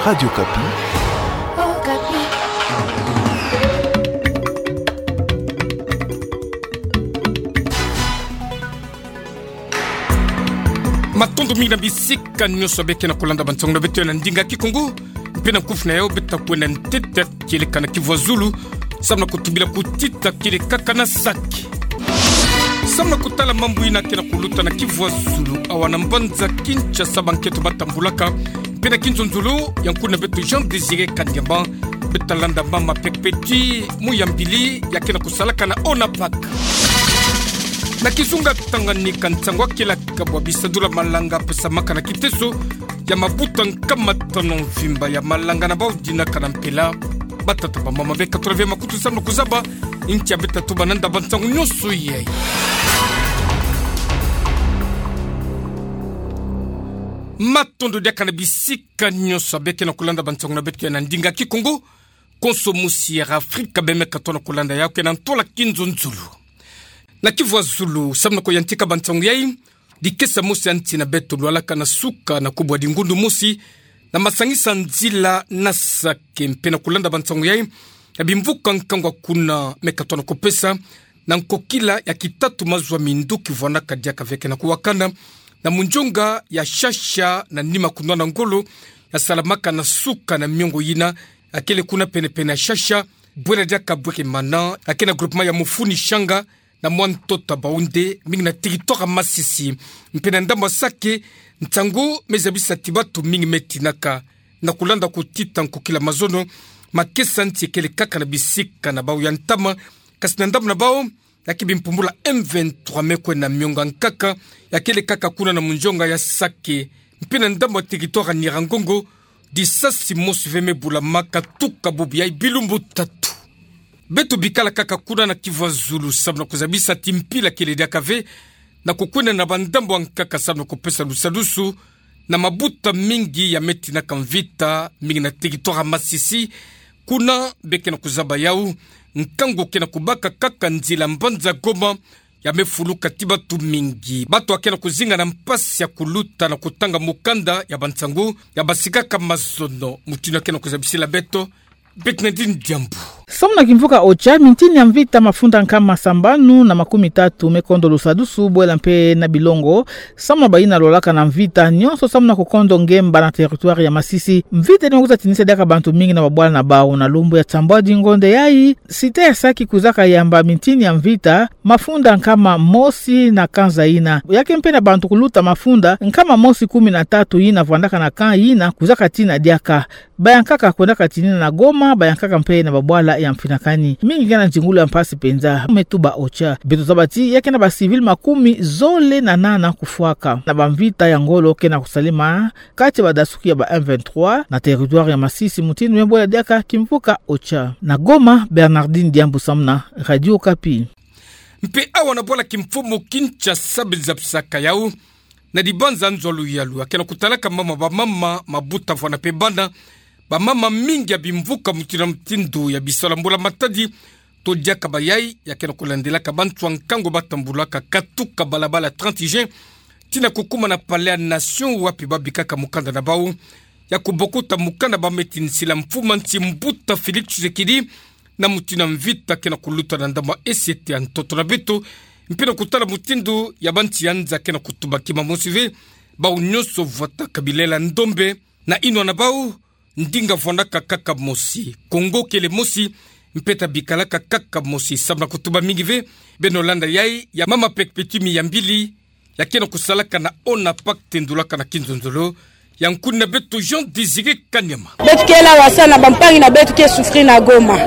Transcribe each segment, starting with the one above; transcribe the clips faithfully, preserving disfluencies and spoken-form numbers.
Radio Okapi. Matondo mingi na bisika nyonso beke na kolanda bansangu na beto ya na ndinga Kikongo. Mpe na nkufi na yau beto ta kwenda ntete kieleka na kivu ya zulu, samu na kutubila kutita kieleka kaka na saki. Samu na kutala mambu yina ke na kuluta na kivu ya zulu, awa na mbanza Kinshasa, bankento batambulaka. Mpe na kinzonzolo ya nkuna beto Jean Désiré Kanyama, beto ta landa mama Perpétue Muyambili, ya ke na kusalaka na ONAPAK. Na kizunga Tanganyika, nsangu ya kieleka bwa bisadula malanga pesamaka na kiteso ya mabuta nkama tanu mvimba ya malanga na bau dinaka na mpela. Batata, bamama, beka tula ve makutu samu na kuzaba ntia beto ta tuba nanda bansangu nyonso yai. Matondo diaka na bisika nyonso beke na kolanda bansangu na beto ya na ndinga Kikongo. Konso mosi ya Afrika bemeka tona kolanda yau ke na ntola kinzonzolo. Na kivu ya zulu, samu na kuyantika bansangu yai, dikesa mosi ya nsi na beto lwalaka na suka na kubwa dingundu mosi, na masangisa nzila na saki. Mpe na kolanda bansangu yai, ya bimvuka nkangu ya kuna meka tona kupesa, na nkokila ya kitatu mazuaminduki vwanaka diaka ve ke na kuwakana na munzonga ya Shasha na nima kunwana ngolo ya salamaka na suka na miongo yina, ya kele kuna penepene ya Shasha, bwela diaka Bweremana, ya ke na groupement ya Mufuni Shanga, na mwa ntoto ya Baoundé, mingi na territoire ya Masisi. Mpe na ndambu ya saki, nsangu me zabisa ti batu mingi me tinaka. Na kolanda kutita nkokila mazono, makesa nsi ekele kaka na bisika na bau ya ntama, kasi na ndambu na bau, ya ke bimpumbulu ya M vingt-trois me kwenda miongo ya nkaka, ya kele kaka kuna na munzonga ya saki. Mpe na ndambu ya territoire ya Nyiragongo, disasi mosi ve me bulama katuka bubu yai bilumbu tatu. Beto bikala kaka kuna na kivu ya zulu samu na kuzabisa ti mpila kele diaka ve na kukwenda na bandambu ya nkaka samu na kupesa lusadusu na mabuta mingi ya me tinaka mvita, mingi na territoire ya Masisi. Kuna beke na kuzaba yau, nkangu ke na kubaka kaka nzila mbanza Goma, ya me fuluka ti batu mingi. Batu ya ke na kuzinga na mpasi ya kuluta na kutanga mukanda ya bansangu ya basikaka mazono. Mutindu ya ke na kuzabisila beto Bernardine Diambu. Samu na kimvuka Ocha, mintini ya mvita mafunda nkama sambanu na makumi tatu me kondo lusadusu, bwela mpe na bilongo, samu na bayina lolaka na mvita nyonso samu na kukondo ngemba na territoire ya Masisi. Mvita yina me kwiza tinisa diaka bantu mingi na babwala na bau. Na lumbu ya nsambwadi ngonde yai, cité ya saki kwizaka yamba mintini ya mvita mafunda nkama mosi na kanza yina. Ya ke mpe na bantu kuluta mafunda nkama mosi kumi na tatu yina vwandaka na camp yina kwizaka tina diaka. Bayankaka kwendaka tinina na Goma, bayankaka mpe na babwala ya mfinakani. Mingi ke na nzingulu ya mpasi mpenza, me tuba Ocha. Beto zaba ti ya ke na ba civils makumi zole na nana kufwaka na bamvita ya ngolo ke na kusalema kati ya badasuki ya ba M vingt-trois na territoire ya Masisi, mutindu me bwela diaka kimvuka Ocha. Na Goma, Bernardine Diambu samu na Radio Okapi. Mpe awa na bwala kimfumu Kinshasa, beto zabisaka yau na dibanza nzo ya luyalu ya ke na kutalaka mama, bamama, mabuta vwana mpe bana. Bamama mingi ya bimvuka mutindu na mutindu ya bisala mbula matadi, to diaka bayai, ya ke na kulandelaka bantu ya nkangu batambulaka katuka balabala trente juin, tina kukuma na Palais ya Nation, wapi babikaka mukanda na bau ya kubokuta mukanda ba me tinisila mfumu ya nsi, mbuta Félix Tshisekedi, na mutindu ya mvita ke na kuluta na ndambu ya esete ya ntoto na beto, mpe na kutala mutindu ya bansi ya nza ke na kutuba kima mosi ve, bau nyonso vwataka bilela ndombe, na inwa na bau, ndinga vwandaka kaka mosi, Kongo kele mosi, mpe ta bikalaka kaka mosi, samu na kutuba mingi ve. Beno landa yai ya mama Perpétue Miyambili, ya ke na kusalaka na ONAPAK, tendulaka na kinzonzolo ya nkuni na beto Jean Désiré Kanyama. Beto kele awa samu na bampangi na beto ke souffrir na Goma.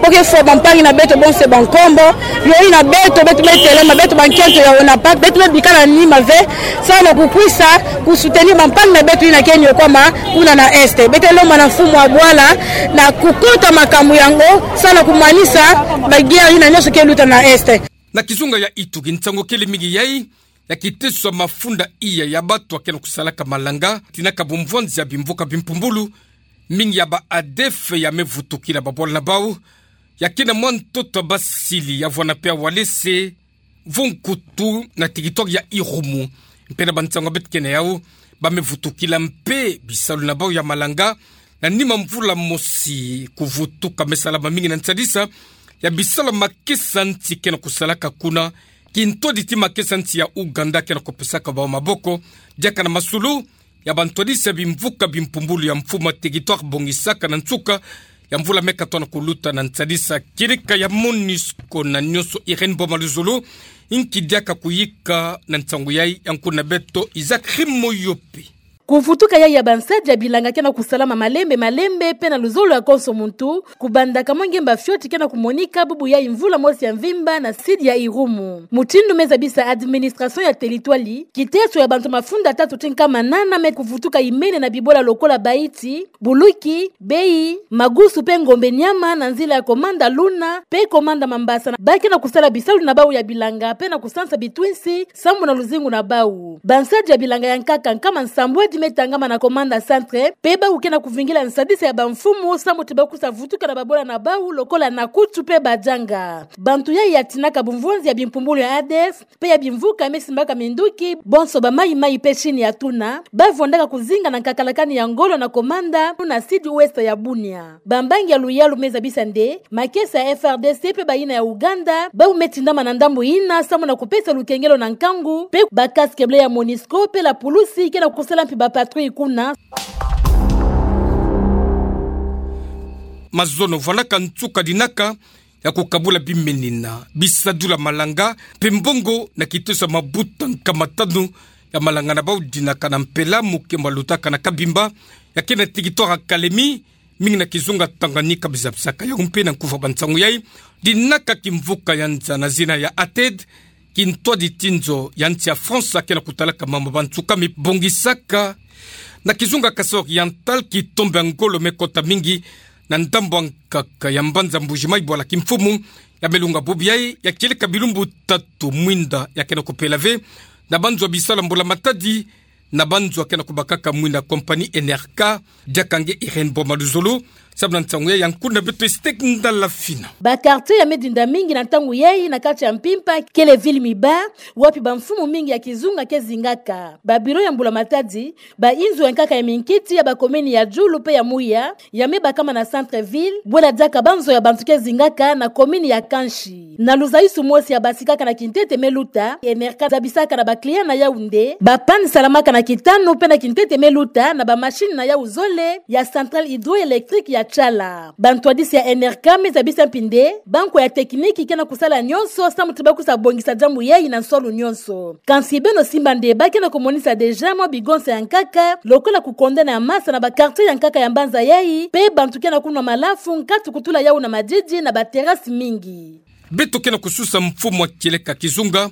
Po ke fwa bampangi na beto bonse bankombo, yo yina beto, beto me telema, beto bankento ya ONAPAK, beto me bikala nima ve, samu na kukwisa kusoutenir bampangi na beto yina ke niokwama kuna na Est. Beto lomba na mfumu ya bwala na kukota makambu yango, samu na kumanisa ba guerre yina nyonso ke luta na Est. Na kizunga ya Ituri, nsangu kele mingi yai, ya kiteso ya mafunda iya ya bantu ya ke na kusalaka malanga, tinaka bumvwanzi ya bimvuka bimpumbulu, mingi ya ba ADF ya me vutukila babwala na bau, ya ke na mwa ntoto ya basili ya vwana mpe ya Walese, vo nkutu na territoire ya Irumu. Mpe na bansangu ya beto ke na yau, ba me vutukila mpe bisalu na bau ya malanga na nima mvula mosi. Kuvutuka me salama mingi na nsadisa ya bisalu ya makesa nti ke na kusalaka kuna, kintwaditi makesa nti ya Ouganda ke na kupesaka bau maboko diaka na masulu ya bantwadisi ya bimvuka bimpumbulu ya mfumu ya territoire bongisaka na nsuka ya mvula me katoa na kuluta na nsadisa. Kieleka ya MONUSCO na nionso Irène Boma Luzolo, nki diaka kuyika na nsangu yai? Yankulu na beto Isaac Rimoyope. Kuvutuka yai ya bansadi ya bilanga ke na kusalama malembe malembe mpe na luzolo ya konso muntu, kubandaka mwa ngemba fioti ke na kumonika bubu yai mvula mosi ya mvimba na sidi ya Irumu. Mutindu me zabisa administration ya territoire, kiteso ya bantu mafunda tatu ti nkama nana me kuvutuka imene na bibola lokola baiti, buluki, bei, magusu mpe ngombe nyama na nzila ya komanda Luna mpe komanda Mambasa, ba ke na kusala bisalu na bau ya bilanga mpe na kusansa bitwisi sambu na luzingu na bau. Bansadi ya bilanga ya nkaka nkama nsambwadi me tangama na komanda Centre mpe bau ke na kuvingila nsadisa ya bamfumu sambu ti ba kusa vutuka na babola na bau lokola Nakutu mpe Badjanga. Bantu yai ya tinaka bumvonzi ya bimpumbulu ya A D F mpe ya bimvuka me simbaka minduki, bonso ba mayi-mayi mpe Chine ya tuna, ba vondaka kuzinga na nkakalakani ya ngolo na komanda na sidi ouest ya Bunia. Bambangi ya luyalu me zabisa nde makesa ya F R D C mpe bayina ya Ouganda, bau me tindama na ndambu yina sambu na kupesa lukengelo na nkangu, mpe ba casque bleu ya MONUSCO mpe la pulusi ke na kusala mpi ba patrouille kuna. Mazono, vwandaka nsuka dinaka ya kukabula bimenina, bisadula malanga mpe mbongo na kiteso ya mabuta nkama tanu ya malanga na bau dinaka na mpela, mokembo ya lutaka na Kabimba, ya ke na territoire ya Kalemi, mingi na kizunga Tanganyika, bizabisaka yau mpe na nkufa ba nsangu yai. Dinaka kimvuka ya nza na zina ya ATED, kintwaditi nzo ya nsi ya France ke na kutalaka mambu ya bansuka me bongisaka na kizunga Kasai Oriental, kitombe ya ngolo me kota mingi na ndambu ya nkaka ya mbanza Mbuji-Mayi, bwala kimfumu ya me lunga bubu yai, ya kieleka bilumbu tatu. Mwinda ya ke na kupela ve na banzo ya bisalu ya mbula matadi, na banzo ya ke na kubakaka mwinda compagnie N R K, diaka nge Irène Boma Luzolo, samu na nsangu yai. Yankulu na beto Estek Ndala Fina. Ba quartier ya me dinda mingi na ntangu yai na kati ya mpimpa kele ville Miba, wapi bamfumu mingi ya kizunga ke zingaka. Ba bureau ya mbula matadi, ba inzo ya nkaka ya minkiti ya ba commune ya Djulu mpe ya Mouya, ya me bakama na centre-ville, bwela diaka banzo ya bantu ke zingaka na commune ya Kanchi. Na luzaisu mosi ya basikaka na kintete me luta, N R K zabisaka na ba client na yau nde ba panne salamaka na kitanu mpe na kintete me luta na ba machine na yau zole ya centrale hydroélectrique ya Tshala. Bantwadisi ya N R K me zabisa mpi nde bankwa ya technique ke na kusala nionso samu ti ba kusa bongisa diambu yai na nsolo nionso. Kansi beno simba nde ba ke na kumonisa déjà mwa bigonsa ya nkaka, lokola kukondana ya masa na ba quartier ya nkaka ya mbanza yai, mpe bantu ke na kunwa malafu, nkatu kutula yau na madidi na ba terrasse mingi. Beto ke na kususa mfumu ya kieleka kizunga,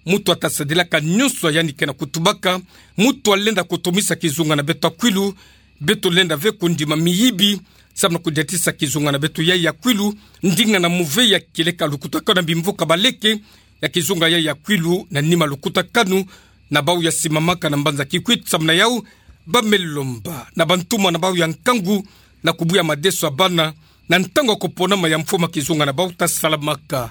muntu ya ta sadilaka nionso ya yandi ke na kutubaka, muntu ya lenda kutumisa kizunga na beto ya Kwilu. Beto lenda ve kundima miyibi samu na kudiatisa kizunga na beto yai ya Kwilu, ndinga na muve ya kieleka lukutakanu na bimvuka baleke ya kizunga yai ya Kwilu, na nima lukutakanu na bau ya simamaka na mbanza Kikwit. Samu na yau, ba me lomba na bantumwa na bau ya nkangu na kubuya madeso ya bana na ntangu ya kuponama ya mfumu ya kizunga na bau ta salamaka.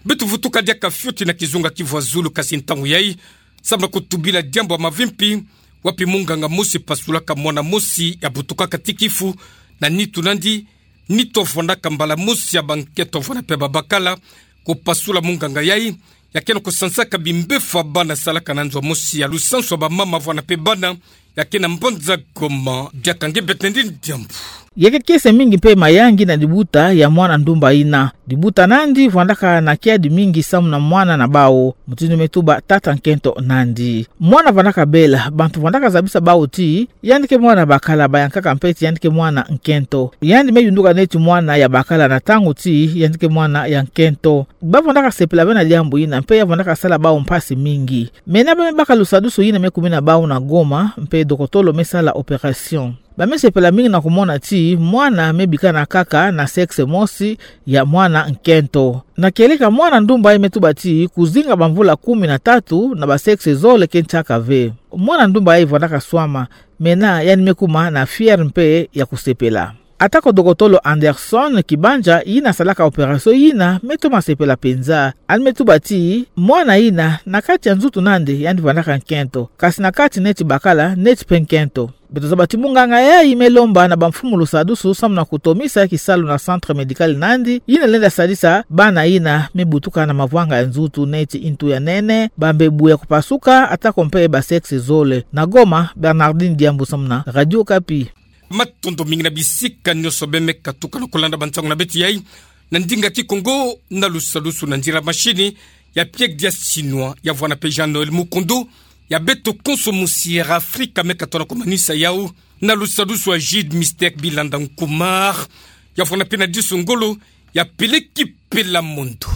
Beto vutuka diaka fioti na kizunga Kivu ya Zulu, kasi ntangu yai, samu na kutubila diambu ya mavimpi, wapi munganga mosi pasulaka mwana mosi ya butukaka ti kifu na nitu nandi. Nitu ya vwandaka mbala mosi ya bankento ya vwanda mpe babakala, kupasula munganga yai, ya ke na kusansaka bimbefu ya bana, salaka na nzo mosi ya lusansu ya bamama ya vwanda mpe bana, ya ke na mbanza Goma. Diaka nge Betendine Diambu. Ya ke kiese mingi mpe mayangi na libuta ya mwana ndumba yina. Libuta nandi vwandaka na kiadi mingi samu na mwana na bau, mutindu me tuba tata nkento nandi. Mwana vwandaka bela, bantu vwandaka zabisa bau ti yandi ke mwana bakala, bayankaka mpe ti yandi ke mwana nkento. Yandi me yunduka neti mwana ya bakala na ntangu ti yandi ke mwana ya nkento. Ba vwandaka sepela ve na diambu yina, mpe ya vwandaka sala bau mpasi mingi. Mena ba me baka lusadusu yina me kumina bau na Goma, mpe dokotolo me sala opération. Ba me sepela mingi na kumona ti mwana me bikana kaka na sexe mosi ya mwana nkento. Na kieleka mwana ndumba yai me tuba ti kuzinga bamvula kumi na tatu na ba sexe zole ke ntiaka ve. Mwana ndumba yai vwandaka swama, mena yandi me kuma na fière mpe ya kusepela. Atako dokotolo Anderson Kibanja, yina asalaka opération yina, me toma sepela penza. Ani me tuba ti, mwana yina, na kati ya nzutu na nde, yandi vandaka nkento. Kasi na kati neti bakala, neti pe nkento. Beto zaba ti munganga yayi me lomba na bamfumu lusadusu samu na kutomisa kisalu na centre médical na nde, yina lenda sadisa bana yina me butuka na mavwanga ya nzutu neti ntu ya nene, bambebu ya kupasuka, atako mpe ba sexe zole. Na Goma, Bernardine Diambu samu na Radio Okapi. Matondo mingi na bisika nyonso beno me katuka na kulanda bansangu na beto yayi na ndinga Kikongo, na lusadusu na nzila machine ya Pierre Dias Chinois, ya vwanda pe Jean-Noël Mukundu, ya beto konso musi ya Afrika me katona kumanisa yawu, na lusadusu ya Jude Mystère Bilanda Nkumar, ya vwanda pe na disu ngolo, ya Peleki Pela Mondo.